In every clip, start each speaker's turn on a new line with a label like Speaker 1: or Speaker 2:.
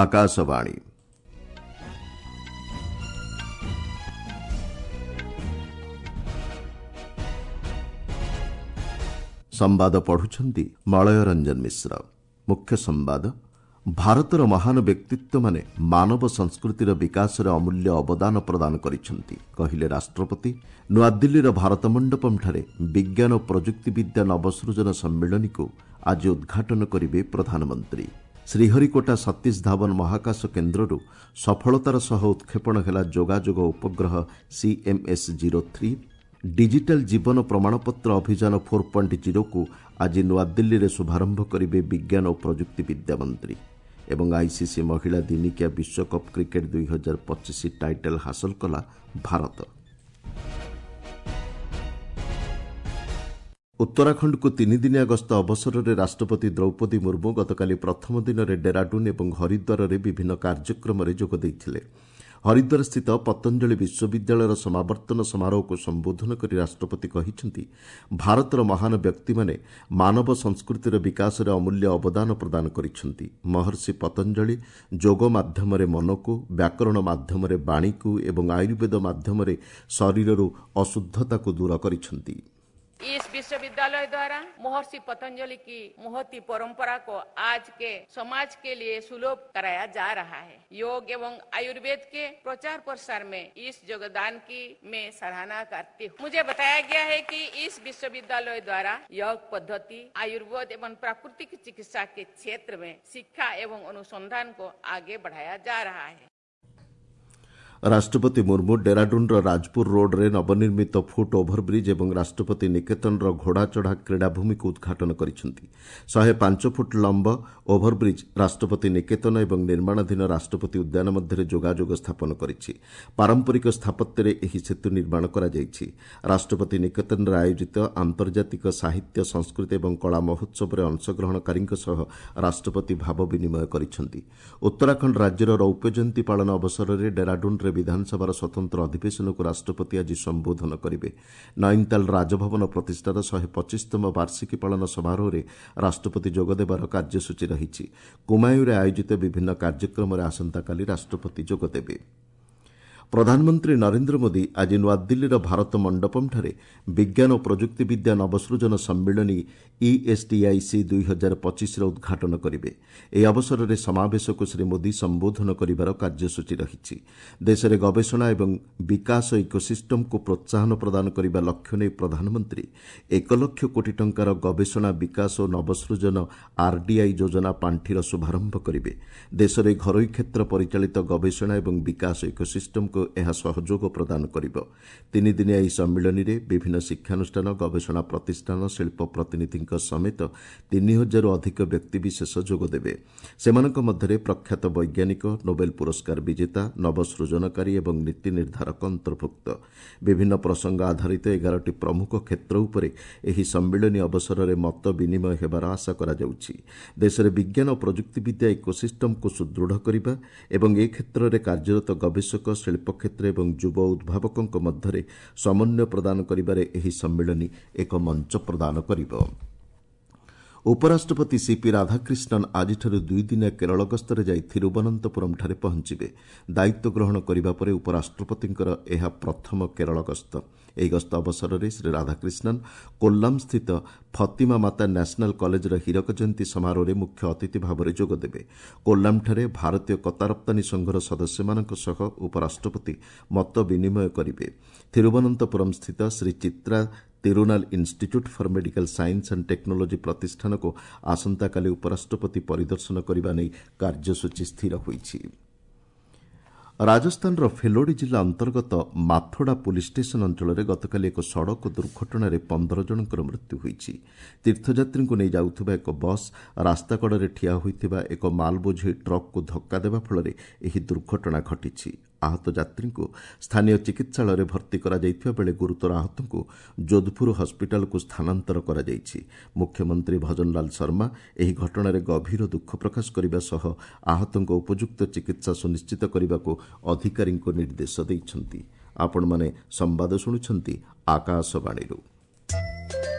Speaker 1: ଆକାଶବାଣୀ। ସମ୍ବାଦ ପଢୁଛନ୍ତି ମଳୟ ରଞ୍ଜନ ମିଶ୍ର। ମୁଖ୍ୟ ସମ୍ବାଦ। ଭାରତର ମହାନ ବ୍ୟକ୍ତିତ୍ୱମାନେ ମାନବ ସଂସ୍କୃତିର ବିକାଶରେ ଅମୂଲ୍ୟ ଅବଦାନ ପ୍ରଦାନ କରିଛନ୍ତି, କହିଲେ ରାଷ୍ଟ୍ରପତି। ନୂଆଦିଲ୍ଲୀର ଭାରତ ମଣ୍ଡପମ୍ଠାରେ ବିଜ୍ଞାନ ଓ ପ୍ରଯୁକ୍ତିବିଦ୍ୟା ନବସୃଜନ ସମ୍ମିଳନୀକୁ ଆଜି ଉଦ୍ଘାଟନ କରିବେ ପ୍ରଧାନମନ୍ତ୍ରୀ। ଶ୍ରୀହରିକୋଟା ସତୀଶ ଧାୱନ ମହାକାଶ କେନ୍ଦ୍ରରୁ ସଫଳତାର ସହ ଉତ୍କ୍ଷେପଣ ହେଲା ଯୋଗାଯୋଗ ଉପଗ୍ରହ ସିଏମ୍ଏସ୍ 03। ଡିଜିଟାଲ ଜୀବନ ପ୍ରମାଣପତ୍ର ଅଭିଯାନ 4.0କୁ ଆଜି ନୂଆଦିଲ୍ଲୀରେ ଶୁଭାରମ୍ଭ କରିବେ ବିଜ୍ଞାନ ଓ ପ୍ରଯୁକ୍ତିବିଦ୍ୟା ମନ୍ତ୍ରୀ। ଏବଂ ଆଇସିସି ମହିଳା ଦିନିକିଆ ବିଶ୍ୱକପ୍ କ୍ରିକେଟ୍ 2025 ଟାଇଟଲ୍ ହାସଲ କଲା ଭାରତ। ଉତ୍ତରାଖଣ୍ଡକୁ ତିନିଦିନିଆ ଗସ୍ତ ଅବସରରେ ରାଷ୍ଟ୍ରପତି ଦ୍ରୌପଦୀ ମୁର୍ମୁ ଗତକାଲି ପ୍ରଥମ ଦିନରେ ଡେରାଡୁନ୍ ଏବଂ ହରିଦ୍ୱାରରେ ବିଭିନ୍ନ କାର୍ଯ୍ୟକ୍ରମରେ ଯୋଗ ଦେଇଥିଲେ। ହରିଦ୍ୱାରସ୍ଥିତ ପତଞ୍ଜଳି ବିଶ୍ୱବିଦ୍ୟାଳୟର ସମାବର୍ତ୍ତନ ସମାରୋହକୁ ସମ୍ବୋଧନ କରି ରାଷ୍ଟ୍ରପତି କହିଛନ୍ତି, ଭାରତର ମହାନ ବ୍ୟକ୍ତିମାନେ ମାନବ ସଂସ୍କୃତିର ବିକାଶରେ ଅମୂଲ୍ୟ ଅବଦାନ ପ୍ରଦାନ କରିଛନ୍ତି। ମହର୍ଷି ପତଞ୍ଜଳି ଯୋଗ ମାଧ୍ୟମରେ ମନକୁ, ବ୍ୟାକରଣ ମାଧ୍ୟମରେ ବାଣୀକୁ ଏବଂ ଆୟୁର୍ବେଦ ମାଧ୍ୟମରେ ଶରୀରରୁ ଅଶୁଦ୍ଧତାକୁ ଦୂର କରିଛନ୍ତି।
Speaker 2: इस विश्वविद्यालय द्वारा महर्षि पतंजलि की महती परंपरा को आज के समाज के लिए सुलभ कराया जा रहा है। योग एवं आयुर्वेद के प्रचार प्रसार में इस योगदान की मैं सराहना करती हूँ। मुझे बताया गया है कि इस विश्वविद्यालय द्वारा योग पद्धति, आयुर्वेद एवं प्राकृतिक चिकित्सा के क्षेत्र में शिक्षा एवं अनुसंधान को आगे बढ़ाया जा रहा है।
Speaker 1: ରାଷ୍ଟ୍ରପତି ମୁର୍ମୁ ଡେରାଡୁନ୍ର ରାଜପୁର ରୋଡ୍ରେ ନବନିର୍ମିତ ଫୁଟ୍ ଓଭରବ୍ରିଜ୍ ଏବଂ ରାଷ୍ଟ୍ରପତି ନିକେତନର ଘୋଡ଼ାଚଢ଼ା କ୍ରୀଡ଼ାଭୂମିକୁ ଉଦ୍ଘାଟନ କରିଛନ୍ତି। 105 ଫୁଟ୍ ଲମ୍ବ ଓଭରବ୍ରିଜ୍ ରାଷ୍ଟ୍ରପତି ନିକେତନ ଏବଂ ନିର୍ମାଣାଧୀନ ରାଷ୍ଟ୍ରପତି ଉଦ୍ୟାନ ମଧ୍ୟରେ ଯୋଗାଯୋଗ ସ୍ଥାପନ କରିଛି। ପାରମ୍ପରିକ ସ୍ଥାପତ୍ୟରେ ଏହି ସେତୁ ନିର୍ମାଣ କରାଯାଇଛି। ରାଷ୍ଟ୍ରପତି ନିକେତନରେ ଆୟୋଜିତ ଆନ୍ତର୍ଜାତିକ ସାହିତ୍ୟ, ସଂସ୍କୃତି ଏବଂ କଳା ମହୋତ୍ସବରେ ଅଂଶଗ୍ରହଣକାରୀଙ୍କ ସହ ରାଷ୍ଟ୍ରପତି ଭାବ ବିନିମୟ କରିଛନ୍ତି। ଉତ୍ତରାଖଣ୍ଡ ରାଜ୍ୟର ରୌପ୍ୟ ଜୟନ୍ତୀ ପାଳନ ଅବସରରେ ଡେରାଡୁନ୍ରେ ବିଧାନସଭାର ସ୍ୱତନ୍ତ୍ର ଅଧିବେଶନକୁ ରାଷ୍ଟ୍ରପତି ଆଜି ସମ୍ବୋଧନ କରିବେ। ନୈନିତାଲ ରାଜଭବନ ପ୍ରତିଷ୍ଠାର 125ତମ ବାର୍ଷିକୀ ପାଳନ ସମାରୋହରେ ରାଷ୍ଟ୍ରପତି ଯୋଗଦେବାର କାର୍ଯ୍ୟସୂଚୀ ରହିଛି। କୁମାୟୁଁରେ ଆୟୋଜିତ ବିଭିନ୍ନ କାର୍ଯ୍ୟକ୍ରମରେ ଆସନ୍ତାକାଲି ରାଷ୍ଟ୍ରପତି ଯୋଗଦେବେ। ପ୍ରଧାନମନ୍ତ୍ରୀ ନରେନ୍ଦ୍ର ମୋଦି ଆଜି ନୂଆଦିଲ୍ଲୀର ଭାରତ ମଣ୍ଡପମ୍ଠାରେ ବିଜ୍ଞାନ ଓ ପ୍ରଯୁକ୍ତିବିଦ୍ୟା ନବସୃଜନ ସମ୍ମିଳନୀ ଇଏସ୍ଟିଆଇସି 2025ର ଉଦ୍ଘାଟନ କରିବେ। ଏହି ଅବସରରେ ସମାବେଶକୁ ଶ୍ରୀ ମୋଦି ସମ୍ବୋଧନ କରିବାର କାର୍ଯ୍ୟସୂଚୀ ରହିଛି। ଦେଶରେ ଗବେଷଣା ଏବଂ ବିକାଶ ଇକୋସିଷ୍ଟମକୁ ପ୍ରୋତ୍ସାହନ ପ୍ରଦାନ କରିବା ଲକ୍ଷ୍ୟ ନେଇ ପ୍ରଧାନମନ୍ତ୍ରୀ 1 ଲକ୍ଷ କୋଟି ଟଙ୍କାର ଗବେଷଣା, ବିକାଶ ଓ ନବସୃଜନ ଆର୍ଡିଆଇ ଯୋଜନା ପାଣ୍ଠିର ଶୁଭାରମ୍ଭ କରିବେ। ଦେଶରେ ଘରୋଇ କ୍ଷେତ୍ର ପରିଚାଳିତ ଗବେଷଣା ଏବଂ ବିକାଶ ଇକୋସିଷ୍ଟମକୁ ଏହା ସହଯୋଗ ପ୍ରଦାନ କରିବ। ତିନିଦିନିଆ ଏହି ସମ୍ମିଳନୀରେ ବିଭିନ୍ନ ଶିକ୍ଷାନୁଷ୍ଠାନ, ଗବେଷଣା ପ୍ରତିଷ୍ଠାନ, ଶିଳ୍ପ ପ୍ରତିନିଧିଙ୍କ ସମେତ 3000ରୁ ଅଧିକ ବ୍ୟକ୍ତିବିଶେଷ ଯୋଗଦେବେ। ସେମାନଙ୍କ ମଧ୍ୟରେ ପ୍ରଖ୍ୟାତ ବୈଜ୍ଞାନିକ, ନୋବେଲ ପୁରସ୍କାର ବିଜେତା, ନବସୃଜନକାରୀ ଏବଂ ନୀତି ନିର୍ଦ୍ଧାରକ ଅନ୍ତର୍ଭୁକ୍ତ। ବିଭିନ୍ନ ପ୍ରସଙ୍ଗ ଆଧାରିତ 11ଟି ପ୍ରମୁଖ କ୍ଷେତ୍ର ଉପରେ ଏହି ସମ୍ମିଳନୀ ଅବସରରେ ମତ ବିନିମୟ ହେବାର ଆଶା କରାଯାଉଛି। ଦେଶରେ ବିଜ୍ଞାନ ଓ ପ୍ରଯୁକ୍ତିବିଦ୍ୟା ଇକୋସିଷ୍ଟମକୁ ସୁଦୃଢ଼ କରିବା ଏବଂ ଏ କ୍ଷେତ୍ରରେ କାର୍ଯ୍ୟରତ ଗବେଷକ, ଶିଳ୍ପ କ୍ଷେତ୍ର ଏବଂ ଯୁବ ଉଦ୍ଭାବକଙ୍କ ମଧ୍ୟରେ ସମନ୍ୱୟ ପ୍ରଦାନ କରିବାରେ ଏହି ସମ୍ମିଳନୀ ଏକ ମଞ୍ଚ ପ୍ରଦାନ କରିବ। ଉପରାଷ୍ଟ୍ରପତି ସିପି ରାଧାକ୍ରିଷ୍ଣନ୍ ଆଜିଠାରୁ ଦୁଇଦିନିଆ କେରଳ ଗସ୍ତରେ ଯାଇ ଥିରୁବନନ୍ତପୁରମ୍ଠାରେ ପହଞ୍ଚିବେ। ଦାୟିତ୍ୱ ଗ୍ରହଣ କରିବା ପରେ ଉପରାଷ୍ଟ୍ରପତିଙ୍କର ଏହା ପ୍ରଥମ କେରଳ ଗସ୍ତ। ଏହି ଗସ୍ତ ଅବସରରେ ଶ୍ରୀ ରାଧାକ୍ରିଷ୍ଣନ୍ କୋଲ୍ଲାମ୍ସ୍ଥିତ ଫତିମା ମାତା ନ୍ୟାସନାଲ୍ କଲେଜର ହୀରକ ଜୟନ୍ତୀ ସମାରୋହରେ ମୁଖ୍ୟ ଅତିଥି ଭାବରେ ଯୋଗଦେବେ। କୋଲ୍ଲାମ୍ଠାରେ ଭାରତୀୟ କତା ରପ୍ତାନୀ ସଂଘର ସଦସ୍ୟମାନଙ୍କ ସହ ଉପରାଷ୍ଟ୍ରପତି ମତ ବିନିମୟ କରିବେ। ଥିରୁବନନ୍ତପୁରମ୍ସ୍ଥିତ Shri Chitra Tirunal institute for medical science and technology ପ୍ରତିଷ୍ଠାନକୁ ଆସନ୍ତାକାଲି ଉପରାଷ୍ଟ୍ରପତି ପରିଦର୍ଶନ କରିବା ନେଇ କାର୍ଯ୍ୟସୂଚୀ ସ୍ଥିର ହୋଇଛି। ରାଜସ୍ଥାନର ଫେଲୋଡ଼ି ଜିଲ୍ଲା ଅନ୍ତର୍ଗତ ମାଥୋଡ଼ା ପୁଲିସ୍ ଷ୍ଟେସନ ଅଞ୍ଚଳରେ ଗତକାଲି ଏକ ସଡ଼କ ଦୁର୍ଘଟଣାରେ 15 ଜଣଙ୍କର ମୃତ୍ୟୁ ହୋଇଛି। ତୀର୍ଥଯାତ୍ରୀଙ୍କୁ ନେଇ ଯାଉଥିବା ଏକ ବସ୍ ରାସ୍ତାକଡ଼ରେ ଠିଆ ହୋଇଥିବା ଏକ ମାଲବୋଝେଇ ଟ୍ରକ୍କୁ ଧକ୍କା ଦେବା ଫଳରେ ଏହି ଦୁର୍ଘଟଣା ଘଟିଛି। ଆହତ ଯାତ୍ରୀଙ୍କୁ ସ୍ଥାନୀୟ ଚିକିତ୍ସାଳୟରେ ଭର୍ତ୍ତି କରାଯାଇଥିବା ବେଳେ ଗୁରୁତର ଆହତଙ୍କୁ ଯୋଧପୁର ହସ୍ପିଟାଲକୁ ସ୍ଥାନାନ୍ତର କରାଯାଇଛି। ମୁଖ୍ୟମନ୍ତ୍ରୀ ଭଜନଲାଲ ଶର୍ମା ଏହି ଘଟଣାରେ ଗଭୀର ଦୁଃଖ ପ୍ରକାଶ କରିବା ସହ ଆହତଙ୍କ ଉପଯୁକ୍ତ ଚିକିତ୍ସା ସୁନିଶ୍ଚିତ କରିବାକୁ ଅଧିକାରୀଙ୍କୁ ନିର୍ଦ୍ଦେଶ ଦେଇଛନ୍ତି। ଆପଣମାନେ ସମ୍ବାଦ ଶୁଣୁଛନ୍ତି ଆକାଶବାଣୀରୁ।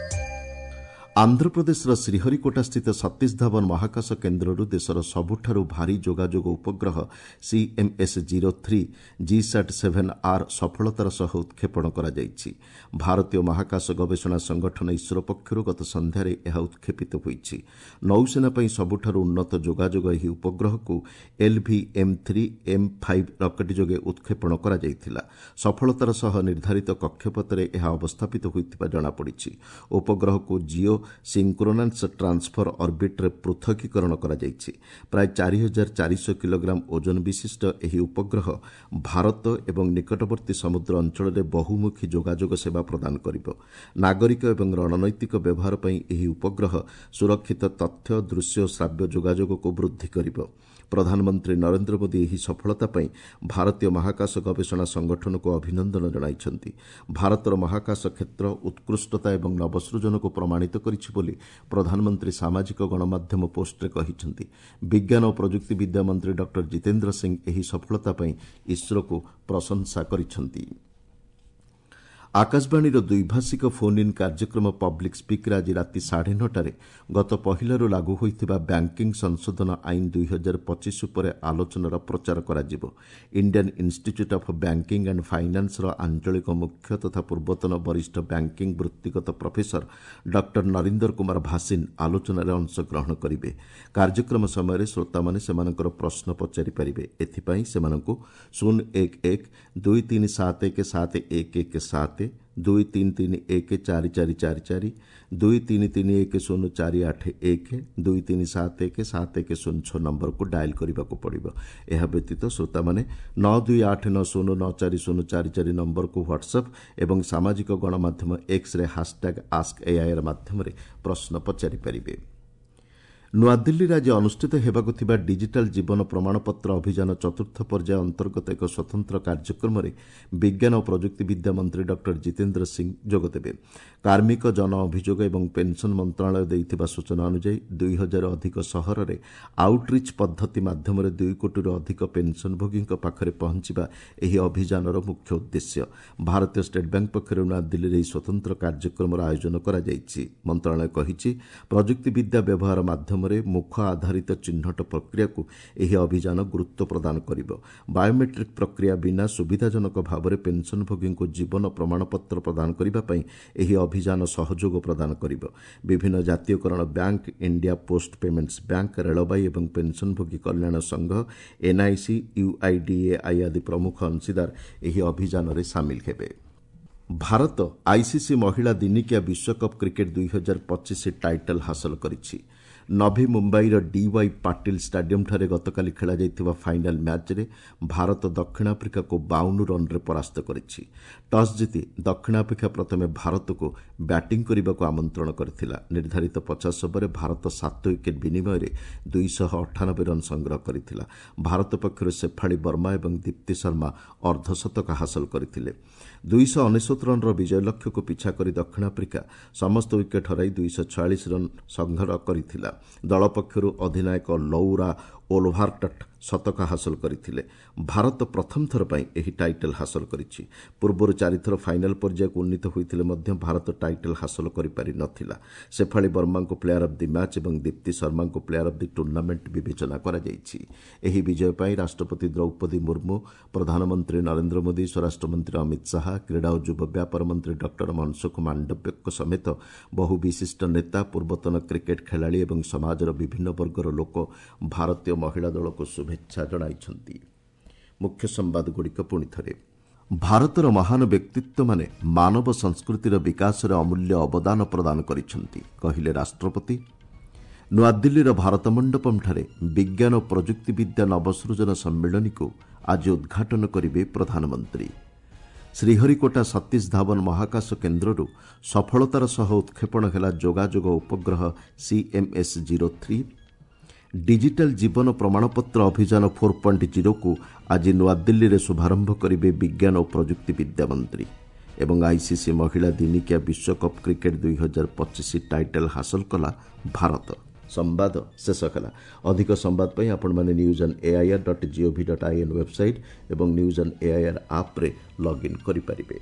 Speaker 1: ଆନ୍ଧ୍ରପ୍ରଦେଶର ଶ୍ରୀହରିକୋଟାସ୍ଥିତ ସତୀଶ ଧାଓ୍ୱନ ମହାକାଶ କେନ୍ଦ୍ରରୁ ଦେଶର ସବୁଠାରୁ ଭାରୀ ଯୋଗାଯୋଗ ଉପଗ୍ରହ ସିଏମ୍ଏସ୍ 03 ଜିସାଟ୍ 7 ଆର୍ ସଫଳତାର ସହ ଉତ୍କ୍ଷେପଣ କରାଯାଇଛି। ଭାରତୀୟ ମହାକାଶ ଗବେଷଣା ସଂଗଠନ ଇସ୍ରୋ ପକ୍ଷରୁ ଗତ ସନ୍ଧ୍ୟାରେ ଏହା ଉତ୍କ୍ଷେପିତ ହୋଇଛି। ନୌସେନା ପାଇଁ ସବୁଠାରୁ ଉନ୍ନତ ଯୋଗାଯୋଗ ଏହି ଉପଗ୍ରହକୁ ଏଲ୍ଭିଏମ୍ 3 ଏମ୍ 5 ରକେଟ୍ ଯୋଗେ ଉତ୍କ୍ଷେପଣ କରାଯାଇଥିଲା। ସଫଳତାର ସହ ନିର୍ଦ୍ଧାରିତ କକ୍ଷପଥରେ ଏହା ଅବସ୍ଥାପିତ ହୋଇଥିବା ଜଣାପଡ଼ିଛି। ଉପଗ୍ରହକୁ ଜିଓ ସିଙ୍କ୍ରୋନାସ୍ ଟ୍ରାନ୍ସଫର ଅର୍ବିଟ୍ରେ ପୃଥକୀକରଣ କରାଯାଇଛି। ପ୍ରାୟ 4400 କିଲୋଗ୍ରାମ ଓଜନ ବିଶିଷ୍ଟ ଏହି ଉପଗ୍ରହ ଭାରତ ଏବଂ ନିକଟବର୍ତ୍ତୀ ସମୁଦ୍ର ଅଞ୍ଚଳରେ ବହୁମୁଖୀ ଯୋଗାଯୋଗ ସେବା ପ୍ରଦାନ କରିବ। ନାଗରିକ ଏବଂ ରଣନୈତିକ ବ୍ୟବହାର ପାଇଁ ଏହି ଉପଗ୍ରହ ସୁରକ୍ଷିତ ତଥ୍ୟ, ଦୃଶ୍ୟ ଓ ଶ୍ରାବ୍ୟ ଯୋଗାଯୋଗକୁ ବୃଦ୍ଧି କରିବ। ପ୍ରଧାନମନ୍ତ୍ରୀ ନରେନ୍ଦ୍ର ମୋଦି ଏହି ସଫଳତା ପାଇଁ ଭାରତୀୟ ମହାକାଶ ଗବେଷଣା ସଂଗଠନକୁ ଅଭିନନ୍ଦନ ଜଣାଇଛନ୍ତି। ଭାରତର ମହାକାଶ କ୍ଷେତ୍ର ଉତ୍କୃଷ୍ଟତା ଏବଂ ନବସୃଜନକୁ ପ୍ରମାଣିତ କରିଛି ବୋଲି ପ୍ରଧାନମନ୍ତ୍ରୀ ସାମାଜିକ ଗଣମାଧ୍ୟମ ପୋଷ୍ଟରେ କହିଛନ୍ତି। ବିଜ୍ଞାନ ଓ ପ୍ରଯୁକ୍ତିବିଦ୍ୟା ମନ୍ତ୍ରୀ ଡକ୍ଟର ଜିତେନ୍ଦ୍ର ସିଂ ଏହି ସଫଳତା ପାଇଁ ଇସ୍ରୋକୁ ପ୍ରଶଂସା କରିଛନ୍ତି। ଆକାଶବାଣୀର ଦ୍ୱିଭାଷିକ ଫୋନ୍ ଇନ୍ କାର୍ଯ୍ୟକ୍ରମ ପବ୍ଲିକ୍ ସ୍ପିକ୍ରେ ଆଜି ରାତି 9:30ରେ ଗତ ପହିଲାରୁ ଲାଗୁ ହୋଇଥିବା ବ୍ୟାଙ୍କିଂ ସଂଶୋଧନ ଆଇନ 2025 ଉପରେ ଆଲୋଚନାର ପ୍ରଚାର କରାଯିବ। Indian institute of banking and ଫାଇନାନ୍ସର ଆଞ୍ଚଳିକ ମୁଖ୍ୟ ତଥା ପୂର୍ବତନ ବରିଷ୍ଠ ବ୍ୟାଙ୍କିଂ ବୃତ୍ତିଗତ ପ୍ରଫେସର ଡକ୍ଟର ନରିନ୍ଦର କୁମାର ଭାସିନ୍ ଆଲୋଚନାରେ ଅଂଶଗ୍ରହଣ କରିବେ। କାର୍ଯ୍ୟକ୍ରମ ସମୟରେ ଶ୍ରୋତାମାନେ ସେମାନଙ୍କର ପ୍ରଶ୍ନ ପଚାରିପାରିବେ। ଏଥିପାଇଁ ସେମାନଙ୍କୁ 011 2371 7117, 2331 4444, 2331 0481, 2371 7106 ନମ୍ବରକୁ ଡାଏଲ୍ କରିବାକୁ ପଡ଼ିବ। ଏହା ବ୍ୟତୀତ ଶ୍ରୋତାମାନେ 9289094044 ନମ୍ବରକୁ ହ୍ୱାଟ୍ସଆପ୍ ଏବଂ ସାମାଜିକ ଗଣମାଧ୍ୟମ ଏକ୍ସରେ ହାସ୍ଟ୍ୟାଗ୍ ଆସ୍କ ଏଆଇଆର୍ ମାଧ୍ୟମରେ ପ୍ରଶ୍ନ ପଚାରିପାରିବେ। ନୂଆଦିଲ୍ଲୀରେ ଆଜି ଅନୁଷ୍ଠିତ ହେବାକୁ ଥିବା ଡିଜିଟାଲ୍ ଜୀବନ ପ୍ରମାଣପତ୍ର ଅଭିଯାନ ଚତୁର୍ଥ ପର୍ଯ୍ୟାୟ ଅନ୍ତର୍ଗତ ଏକ ସ୍ୱତନ୍ତ୍ର କାର୍ଯ୍ୟକ୍ରମରେ ବିଜ୍ଞାନ ଓ ପ୍ରଯୁକ୍ତିବିଦ୍ୟା ମନ୍ତ୍ରୀ ଡକ୍ଟର ଜିତେନ୍ଦ୍ର ସିଂ ଯୋଗଦେବେ। କାର୍ମିକ, ଜନ ଅଭିଯୋଗ ଏବଂ ପେନ୍ସନ୍ ମନ୍ତ୍ରଣାଳୟ ଦେଇଥିବା ସୂଚନା ଅନୁଯାୟୀ, 2000 ଅଧିକ ସହରରେ ଆଉଟ୍ରିଚ୍ ପଦ୍ଧତି ମାଧ୍ୟମରେ 2 କୋଟିରୁ ଅଧିକ ପେନ୍ସନ୍ଭୋଗୀଙ୍କ ପାଖରେ ପହଞ୍ଚିବା ଏହି ଅଭିଯାନର ମୁଖ୍ୟ ଉଦ୍ଦେଶ୍ୟ। ଭାରତୀୟ ଷ୍ଟେଟ୍ ବ୍ୟାଙ୍କ ପକ୍ଷରୁ ନୂଆଦିଲ୍ଲୀରେ ଏହି ସ୍ୱତନ୍ତ୍ର କାର୍ଯ୍ୟକ୍ରମର ଆୟୋଜନ କରାଯାଇଛି। ମନ୍ତ୍ରଣାଳୟ କହିଛି, ପ୍ରଯୁକ୍ତିବିଦ୍ୟା ବ୍ୟବହାର ମାଧ୍ୟମରେ ମୁଖ ଆଧାରିତ ଚିହ୍ନଟ ପ୍ରକ୍ରିୟାକୁ ଏହି ଅଭିଯାନ ଗୁରୁତ୍ୱ ପ୍ରଦାନ କରିବ। ବାୟୋମେଟ୍ରିକ୍ ପ୍ରକ୍ରିୟା ବିନା ସୁବିଧାଜନକ ଭାବରେ ପେନ୍ସନ୍ଭୋଗୀଙ୍କୁ ଜୀବନ ପ୍ରମାଣପତ୍ର ପ୍ରଦାନ କରିବା ପାଇଁ ଏହି ଅଭିଯାନ ସହଯୋଗ ପ୍ରଦାନ କରିବ। ବିଭିନ୍ନ ଜାତୀୟକରଣ bank, India post payments bank, ରେଳବାଇ ଏବଂ ପେନ୍ସନ୍ଭୋଗୀ କଲ୍ୟାଣ ସଂଘ, ଏନ୍ଆଇସି, ୟୁଆଇଡିଏଆଇ ଆଦି ପ୍ରମୁଖ ଅଂଶୀଦାର ଏହି ଅଭିଯାନରେ ସାମିଲ ହେବେ। ଭାରତ ଆଇସିସି ମହିଳା ଦିନିକିଆ ବିଶ୍ୱକପ୍ କ୍ରିକେଟ୍ 2025 ଟାଇଟଲ୍ ହାସଲ କରିଛି। ନଭି ମୁମ୍ବାଇର ଡିୱାଇ ପାଟିଲ ଷ୍ଟାଡିୟମ୍ଠାରେ ଗତକାଲି ଖେଳାଯାଇଥିବା ଫାଇନାଲ୍ ମ୍ୟାଚ୍ରେ ଭାରତ ଦକ୍ଷିଣ ଆଫ୍ରିକାକୁ 52 ରନ୍ରେ ପରାସ୍ତ କରିଛି। ଟସ୍ ଜିତି ଦକ୍ଷିଣ ଆଫ୍ରିକା ପ୍ରଥମେ ଭାରତକୁ ବ୍ୟାଟିଂ କରିବାକୁ ଆମନ୍ତ୍ରଣ କରିଥିଲା। ନିର୍ଦ୍ଧାରିତ 50 ଓଭରରେ ଭାରତ 7 ୱିକେଟ୍ ବିନିମୟରେ 298 ରନ୍ ସଂଗ୍ରହ କରିଥିଲା। ଭାରତ ପକ୍ଷରୁ ଶେଫାଳି ବର୍ମା ଏବଂ ଦୀପ୍ତି ଶର୍ମା ଅର୍ଦ୍ଧଶତକ ହାସଲ କରିଥିଲେ। 299 ରନ୍ର ବିଜୟ ଲକ୍ଷ୍ୟକୁ ପିଛା କରି ଦକ୍ଷିଣ ଆଫ୍ରିକା ସମସ୍ତ ୱିକେଟ୍ ହରାଇ 246 ରନ୍ ସଂଗ୍ରହ କରିଥିଲା। ଦଳ ପକ୍ଷରୁ ଅଧିନାୟକ ଲୌରା ଓଲଭାର୍ଟ ଶତକ ହାସଲ କରିଥିଲେ। ଭାରତ ପ୍ରଥମ ଥର ପାଇଁ ଏହି ଟାଇଟଲ୍ ହାସଲ କରିଛି। ପୂର୍ବରୁ ଚାରିଥର ଫାଇନାଲ୍ ପର୍ଯ୍ୟାୟକୁ ଉନ୍ନୀତ ହୋଇଥିଲେ ମଧ୍ୟ ଭାରତ ଟାଇଟଲ୍ ହାସଲ କରିପାରି ନଥିଲା। ଶେଫାଳି ବର୍ମାଙ୍କୁ ପ୍ଲେୟାର ଅଫ୍ the match ଏବଂ ଦୀପ୍ତି ଶର୍ମାଙ୍କୁ ପ୍ଲେୟାର ଅଫ୍ the tournament ବିବେଚନା କରାଯାଇଛି। ଏହି ବିଜୟ ପାଇଁ ରାଷ୍ଟ୍ରପତି ଦ୍ରୌପଦୀ ମୁର୍ମୁ, ପ୍ରଧାନମନ୍ତ୍ରୀ ନରେନ୍ଦ୍ର ମୋଦି, ସ୍ୱରାଷ୍ଟ୍ରମନ୍ତ୍ରୀ ଅମିତ ଶାହା, କ୍ରୀଡ଼ା ଓ ଯୁବ ବ୍ୟାପାର ମନ୍ତ୍ରୀ ଡକ୍ଟର ମନସୁଖ ମାଣ୍ଡବ୍ୟଙ୍କ ସମେତ ବହୁ ବିଶିଷ୍ଟ ନେତା, ପୂର୍ବତନ କ୍ରିକେଟ୍ ଖେଳାଳି ଏବଂ ସମାଜର ବିଭିନ୍ନ ବର୍ଗର ଲୋକ ଭାରତୀୟ ମହିଳା ଦଳକୁ ଶୁଭେଚ୍ଛା ଜଣାଇଛନ୍ତି। ମୁଖ୍ୟ ସମ୍ବାଦଗୁଡ଼ିକ ପୁଣି ଥରେ। ଭାରତର ମହାନ ବ୍ୟକ୍ତିତ୍ୱମାନେ ମାନବ ସଂସ୍କୃତିର ବିକାଶରେ ଅମୂଲ୍ୟ ଅବଦାନ ପ୍ରଦାନ କରିଛନ୍ତି, କହିଲେ ରାଷ୍ଟ୍ରପତି। ନୂଆଦିଲ୍ଲୀର ଭାରତ ମଣ୍ଡପମ୍ଠାରେ ବିଜ୍ଞାନ ଓ ପ୍ରଯୁକ୍ତିବିଦ୍ୟା ନବସୃଜନ ସମ୍ମିଳନୀକୁ ଆଜି ଉଦ୍ଘାଟନ କରିବେ ପ୍ରଧାନମନ୍ତ୍ରୀ। ଶ୍ରୀହରିକୋଟା ସତୀଶ ଧାୱନ ମହାକାଶ କେନ୍ଦ୍ରରୁ ସଫଳତାର ସହ ଉତ୍କ୍ଷେପଣ ହେଲା ଯୋଗାଯୋଗ ଉପଗ୍ରହ ସିଏମ୍ଏସ୍ 03। ଡିଜିଟାଲ୍ ଜୀବନ ପ୍ରମାଣପତ୍ର ଅଭିଯାନ 4.0କୁ ଆଜି ନୂଆଦିଲ୍ଲୀରେ ଶୁଭାରମ୍ଭ କରିବେ ବିଜ୍ଞାନ ଓ ପ୍ରଯୁକ୍ତିବିଦ୍ୟା ମନ୍ତ୍ରୀ। ଏବଂ ଆଇସିସି ମହିଳା ଦିନିକିଆ ବିଶ୍ୱକପ୍ କ୍ରିକେଟ୍ 2025 ଟାଇଟଲ୍ ହାସଲ କଲା ଭାରତ। ସମ୍ବାଦ ଶେଷ ହେଲା। ଅଧିକ ସମ୍ବାଦ ପାଇଁ ଆପଣମାନେ news on AIR.gov.in website ଏବଂ ନ୍ୟୁଜ୍ ଅନ୍ ଏଆଇଆର୍ ଆପ୍ରେ ଲଗ୍ଇନ୍ କରିପାରିବେ।